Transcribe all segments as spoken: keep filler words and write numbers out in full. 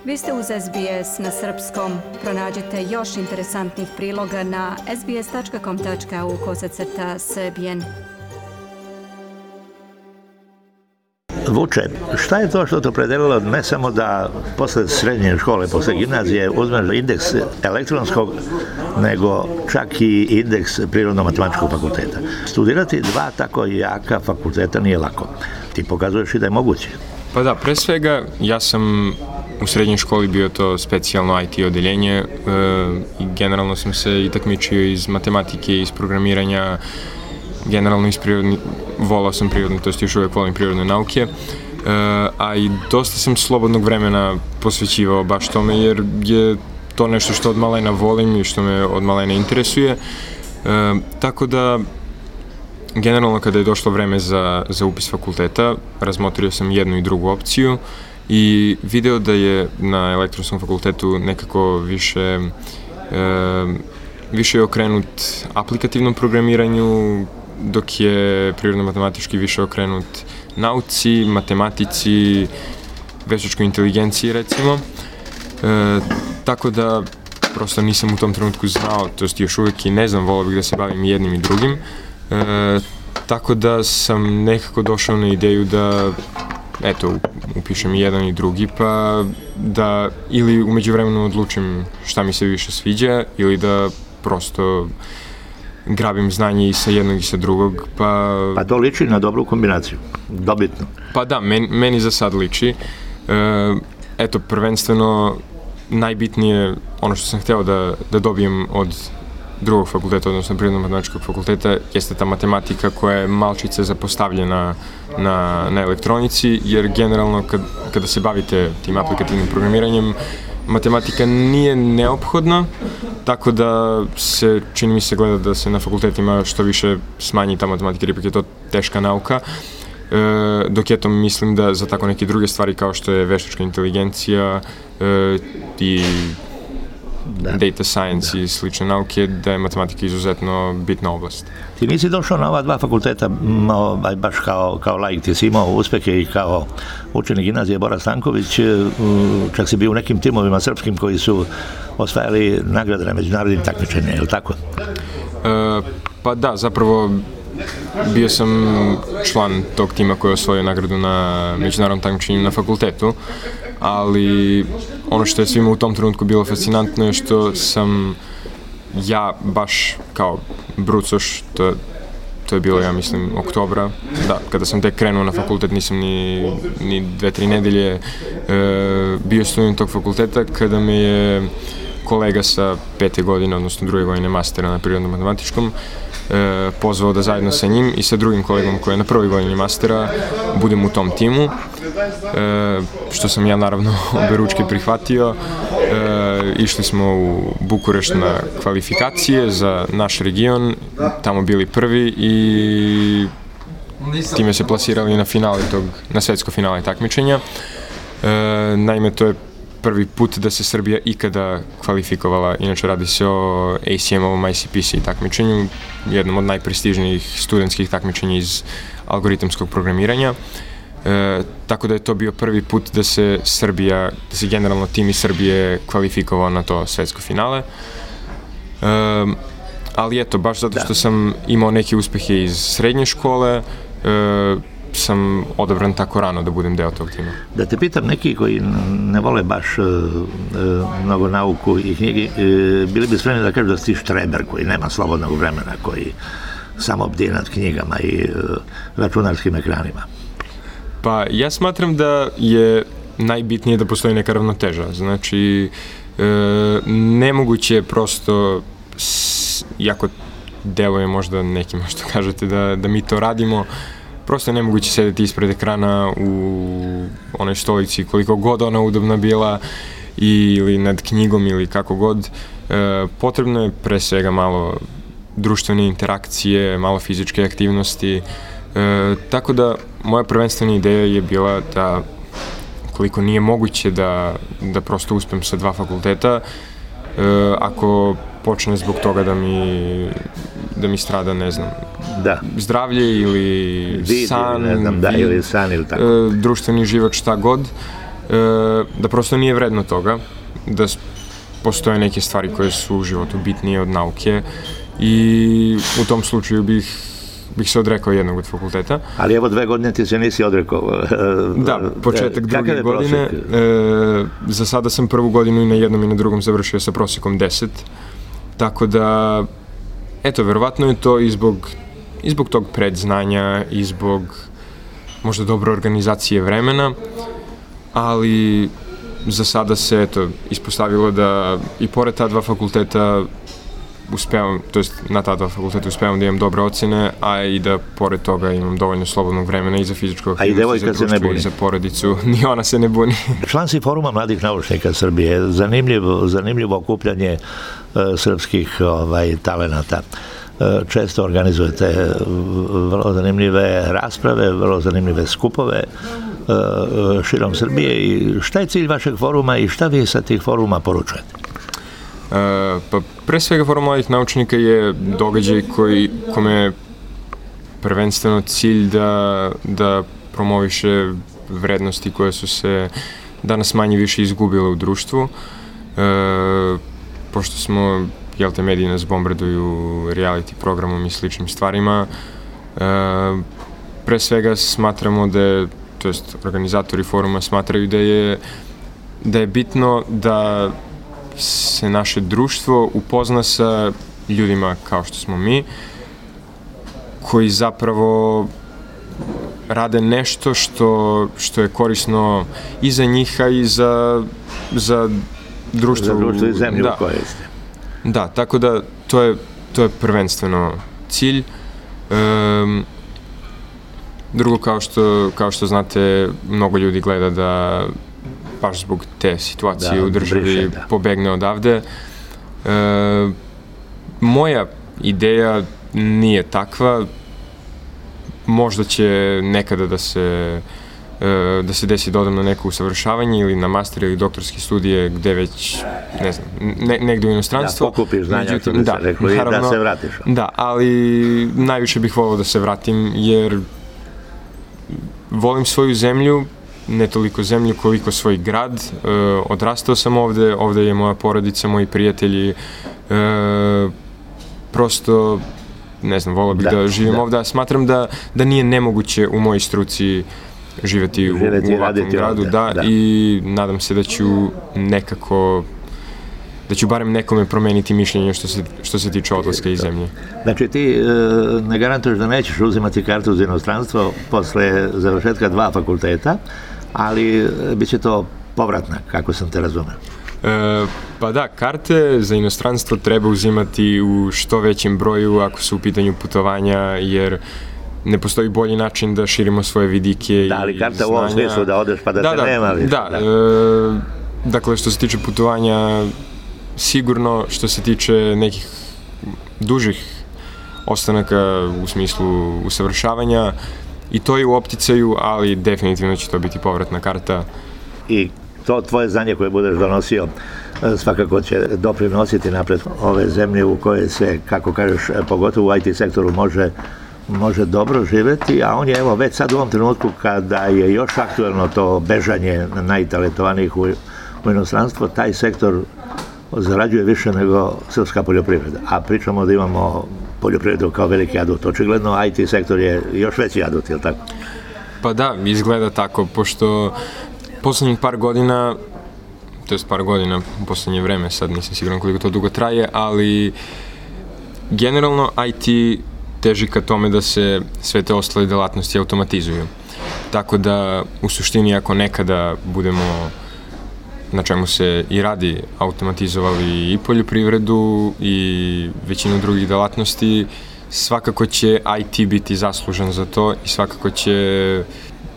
Vi ste uz S B S na srpskom. Pronađite još interesantnih priloga na sbs.com.au kosacrta srbijen. Vuče, šta je to što te opredelilo ne samo da posle srednje škole, posle gimnazije uzmeš indeks elektronskog, nego čak i indeks Prirodno-matematičkog fakulteta? Studirati dva tako jaka fakulteta nije lako. Ti pokazuješ i da je moguće. Pa da, pre svega ja sam u srednjoj školi bio to specijalno I T odeljenje e, i generalno sam se i takmičio iz matematike, iz programiranja, generalno iz prirodni, volao sam prirodne, to jest još uvijek volim prirodne nauke, e, a i dosta sam slobodnog vremena posvećivao baš tome jer je to nešto što od malena volim i što me od malena interesuje, e, tako da generalno kada je došlo vreme za, za upis fakulteta, razmotrio sam jednu i drugu opciju i video da je na elektronskom fakultetu nekako više, e, više je okrenut aplikativnom programiranju, dok je prirodno-matematički više okrenut nauci, matematici, veštačkoj inteligenciji recimo. E, tako da prosto nisam u tom trenutku znao, to jest još uvijek i ne znam, volao bih da se bavim jednim i drugim. E, tako da sam nekako došao na ideju da eto, upišem i jedan i drugi, pa da ili u međuvremenu odlučim šta mi se više sviđa ili da prosto grabim znanje i sa jednog i sa drugog, pa... Pa to liči na dobru kombinaciju, dobitno. Pa da, meni, meni za sad liči. E, eto, prvenstveno najbitnije, ono što sam hteo da, da dobijem od drugog fakulteta, odnosno Prirodno-matematičkog fakulteta, jeste ta matematika koja je malčice zapostavljena na, na elektronici, jer generalno kad, kada se bavite tim aplikativnim programiranjem, matematika nije neophodna, tako da se, čini mi se, gleda da se na fakultetima što više smanji ta matematika, jer ipak je to teška nauka, e, dok eto mislim da za tako neke druge stvari kao što je veštačka inteligencija e, i Da. data science da. i slične nauke, da je matematika izuzetno bitna oblast. Ti nisi došao na ova dva fakulteta ovaj, baš kao, kao laik, ti si imao uspehe i kao učenik gimnazije Bora Stanković, čak si bio u nekim timovima srpskim koji su osvajali nagrade na međunarodnim takmičenjima, je li tako? E, pa da, zapravo bio sam član tog tima koji je osvojio nagradu na međunarodnom takmičenju na fakultetu, ali ono što je svima u tom trenutku bilo fascinantno je što sam ja baš kao brucoš, to, to je bilo, ja mislim, oktobra, da, kada sam tek krenuo na fakultet, nisam ni, ni dve, tri nedelje e, bio student tog fakulteta, kada me je kolega sa pete godine, odnosno druge godine mastera na prirodno-matematičkom, E, pozvao da zajedno sa njim i sa drugim kolegom koji je na prvoj godini mastera budem u tom timu, e, što sam ja naravno oberučke prihvatio. E, išli smo u Bukurešt na kvalifikacije za naš region, tamo bili prvi i time se plasirali na finale tog, na svetsko finale takmičenja. E, naime, to je prvi put da se Srbija ikada kvalifikovala, inače radi se o A C M-ovom I C P C takmičenju, jednom od najprestižnijih studentskih takmičenja iz algoritamskog programiranja. E, tako da je to bio prvi put da se Srbija, da se generalno tim iz Srbije kvalifikovao na to svetsko finale. E, ali eto, baš zato što sam imao neke uspehe iz srednje škole, e, sam odabran tako rano da budem deo tog tima. Da te pitam, neki koji ne vole baš uh, uh, mnogo nauku i knjigi, uh, bili bi spremni da kažu da si štreber koji nema slobodnog vremena, koji samo bdi nad knjigama i uh, računarskim ekranima. Pa ja smatram da je najbitnije da postoji neka ravnoteža. Znači, uh, nemoguće je prosto, s, iako deluje možda nekima što kažete da, da mi to radimo, prosto je nemoguće sedeti ispred ekrana u onoj stolici koliko god ona udobna bila ili nad knjigom ili kako god. E, potrebno je pre svega malo društvene interakcije, malo fizičke aktivnosti. E, tako da moja prvenstvena ideja je bila da koliko nije moguće da, da prosto uspem sa dva fakulteta, e, ako počne zbog toga da mi, da mi strada, ne znam, da. zdravlje ili vid, san, ne znam, da, ili san ili tako. E, društveni život, šta god. da prosto nije vredno toga, da postoje neke stvari koje su u životu bitnije od nauke i u tom slučaju bih, bih se odrekao jednog od fakulteta. Ali evo dve godine ti se nisi odrekao. Da, početak druge godine. E, za sada sam prvu godinu i na jednom i na drugom završio sa prosjekom deset. Tako da, eto, verovatno je to i zbog, i zbog tog predznanja, i zbog možda dobre organizacije vremena, ali za sada se, eto, ispostavilo da i pored ta dva fakulteta uspevam, to jest na ta dva fakulteta uspevam da imam dobre ocene, a i da pored toga imam dovoljno slobodnog vremena i za fizičku aktivnost, i za društvo, i za porodicu. Ni ona se ne buni. Član si Foruma mladih naučnika Srbije. Zanimljivo, zanimljivo okupljanje uh, srpskih ovaj, talenata. Uh, često organizujete vrlo zanimljive rasprave, vrlo zanimljive skupove uh, širom Srbije. I šta je cilj vašeg foruma i šta vi sa tih foruma poručujete? Uh, pa pre svega Forum mladih naučnika je događaj koji, kome je prvenstveno cilj da, da promoviše vrednosti koje su se danas manje više izgubile u društvu. Uh, pošto smo, jel te, mediji nas bombarduju reality programom i sličnim stvarima, uh, pre svega smatramo da je, to jest organizatori foruma smatraju da je, da je bitno da se naše društvo upozna sa ljudima kao što smo mi, koji zapravo rade nešto što, što je korisno i za njih, a i za, za društvo. Za društvo i zemlju da. u kojoj ste. Da, tako da to je, to je prvenstveno cilj. Um, drugo, kao što, kao što znate, mnogo ljudi gleda da baš zbog te situacije da, u državi briše, da. pobegne odavde. E, moja ideja nije takva. Možda će nekada da se, e, da se desi da odem na neko usavršavanje ili na master ili doktorske studije gde već, ne znam, ne, negde u inostranstvo. Da, pokupiš znanja, Međutim, da, rekao, naravno, i da se vratiš. Da, ali najviše bih volao da se vratim, jer volim svoju zemlju, ne toliko zemlju koliko svoj grad. E, odrastao sam ovde, ovde je moja porodica, moji prijatelji. E, prosto, ne znam, volao bih da, da živim da. ovde. Smatram da, da nije nemoguće u mojoj struci živeti, živeti u, u ovakvom gradu. Da, da, i nadam se da ću nekako, da ću barem nekome promeniti mišljenje što se, što se tiče odlaska iz zemlje. Znači ti e, ne garantuješ da nećeš uzimati kartu za inostranstvo posle završetka dva fakulteta, ali bit će to povratna, kako sam te razumeo. E, pa da, karte za inostranstvo treba uzimati u što većem broju ako su u pitanju putovanja, jer ne postoji bolji način da širimo svoje vidike i znanja. Da, ali karta u ovom smislu da odeš pa da, da te da, nema više. Da, da. E, dakle, što se tiče putovanja, sigurno, što se tiče nekih dužih ostanaka u smislu usavršavanja, i to je u opticaju, ali definitivno će to biti povratna karta. I to tvoje znanje koje budeš donosio svakako će doprinositi napred ove zemlje u koje se, kako kažeš, pogotovo u I T sektoru može, može dobro živeti, a on je, evo, već sad u ovom trenutku kada je još aktuelno to bežanje najtalentovanijih u, u inostranstvo, taj sektor zarađuje više nego srpska poljoprivreda. A pričamo da imamo poljoprivredu kao veliki adut. Očigledno I T sektor je još veći adut, je li tako? Pa da, izgleda tako, pošto poslednjih par godina, to je par godina u poslednje vreme, sad nisam siguran koliko to dugo traje, ali generalno I T teži ka tome da se sve te ostale delatnosti automatizuju. Tako da, u suštini, ako nekada budemo, na čemu se i radi, automatizovali i poljoprivredu i većinu drugih delatnosti, svakako će I T biti zaslužan za to i svakako će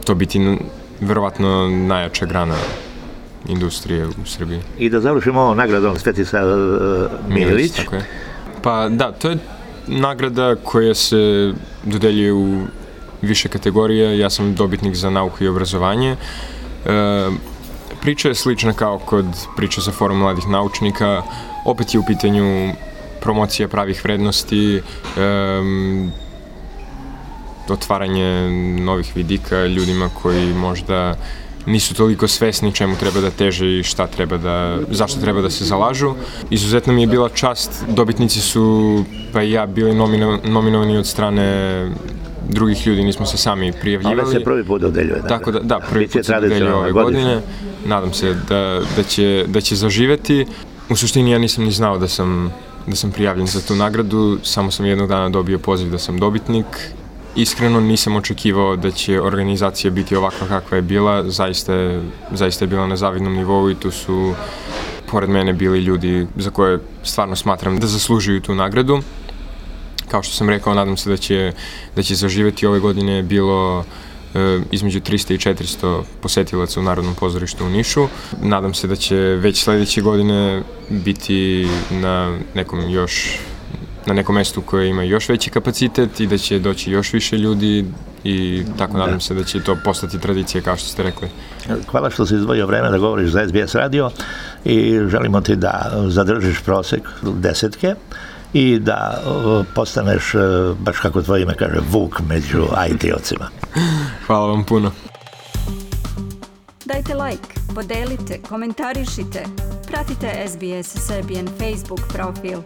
to biti verovatno najjača grana industrije u Srbiji. I da završimo ovom nagradom Svetislav Milić. Tako je. Pa da, to je nagrada koja se dodeljuje u više kategorija. Ja sam dobitnik za nauku i obrazovanje. E, Priča je slična kao kod priča za Forum mladih naučnika. Opet je u pitanju promocija pravih vrednosti, um, otvaranje novih vidika ljudima koji možda nisu toliko svesni čemu treba da teže i šta treba da, zašto treba da se zalažu. Izuzetno mi je bila čast, dobitnici su, pa i ja, bili nomino, nominovani od strane drugih ljudi, nismo se sami prijavljivali. Ove se prvi put dodeljuje. Tako da, da, prvi put se dodeljuje ove godine. Nadam se da, da, će, da će zaživeti. U suštini ja nisam ni znao da sam, da sam prijavljen za tu nagradu, samo sam jednog dana dobio poziv da sam dobitnik. Iskreno nisam očekivao da će organizacija biti ovakva kakva je bila, zaista je, zaista je bila na zavidnom nivou i tu su pored mene bili ljudi za koje stvarno smatram da zaslužuju tu nagradu. Kao što sam rekao, nadam se da će, da će zaživeti. Ove godine je bilo e, između tristo i četiristo posetilaca u Narodnom pozorištu u Nišu. Nadam se da će već sledeće godine biti na nekom još na nekom mestu koje ima još veći kapacitet i da će doći još više ljudi i tako nadam se da će to postati tradicija, kao što ste rekli. Hvala što si izdvojio vreme da govoriš za S B S radio i želimo ti da zadržiš prosek desetke i da postaneš, baš kako tvoje ime kaže, Vuk među I T-ovcima. Hvala vam puno. Dajte like, podelite, komentarišite, pratite S B S Serbian Facebook profil.